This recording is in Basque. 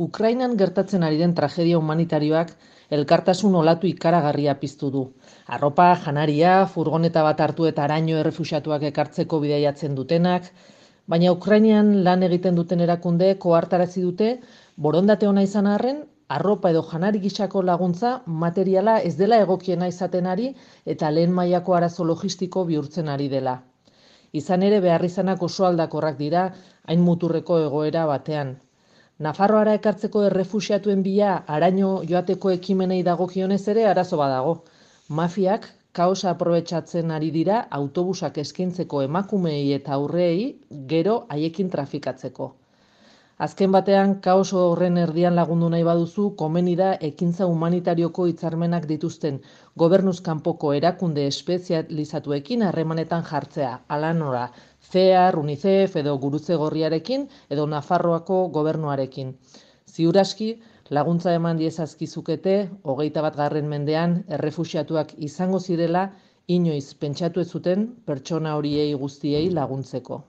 Ukrainan gertatzen ari den tragedia humanitarioak elkartasun olatu ikaragarria piztu du. Arropa, janaria, furgoneta bat hartu eta haraino errefuxiatuak ekartzeko bidaiatzen dutenak, baina Ukrainian lan egiten duten erakundeek ohartarazi dute borondate ona izan arren, arropa edo janari gisako laguntza materiala ez dela egokiena izaten ari eta lehen mailako arazo logistiko bihurtzen ari dela. Izan ere beharrizanak oso aldakorrak dira hain muturreko egoera batean. Nafarroara ekartzeko errefuxiatuen bila haraino joateko ekimenei dagokionez ere arazo badago. Mafiak kaosa aprobetxatzen ari dira autobusak eskaintzeko emakumeei eta aurreei gero haiekin trafikatzeko. Azken batean, kaos horren erdian lagundu nahi baduzu, komeni da ekintza humanitarioko hitzarmenak dituzten gobernuz kanpoko erakunde espezializatuekin harremanetan jartzea, hala nola, CEAR, UNICEF edo Gurutze Gorriarekin edo Nafarroako gobernuarekin. Ziur aski, laguntza eman diezazkizukete 21. mendean errefuxiatuak izango zirela inoiz pentsatu ez zuten pertsona horiei guztiei laguntzeko.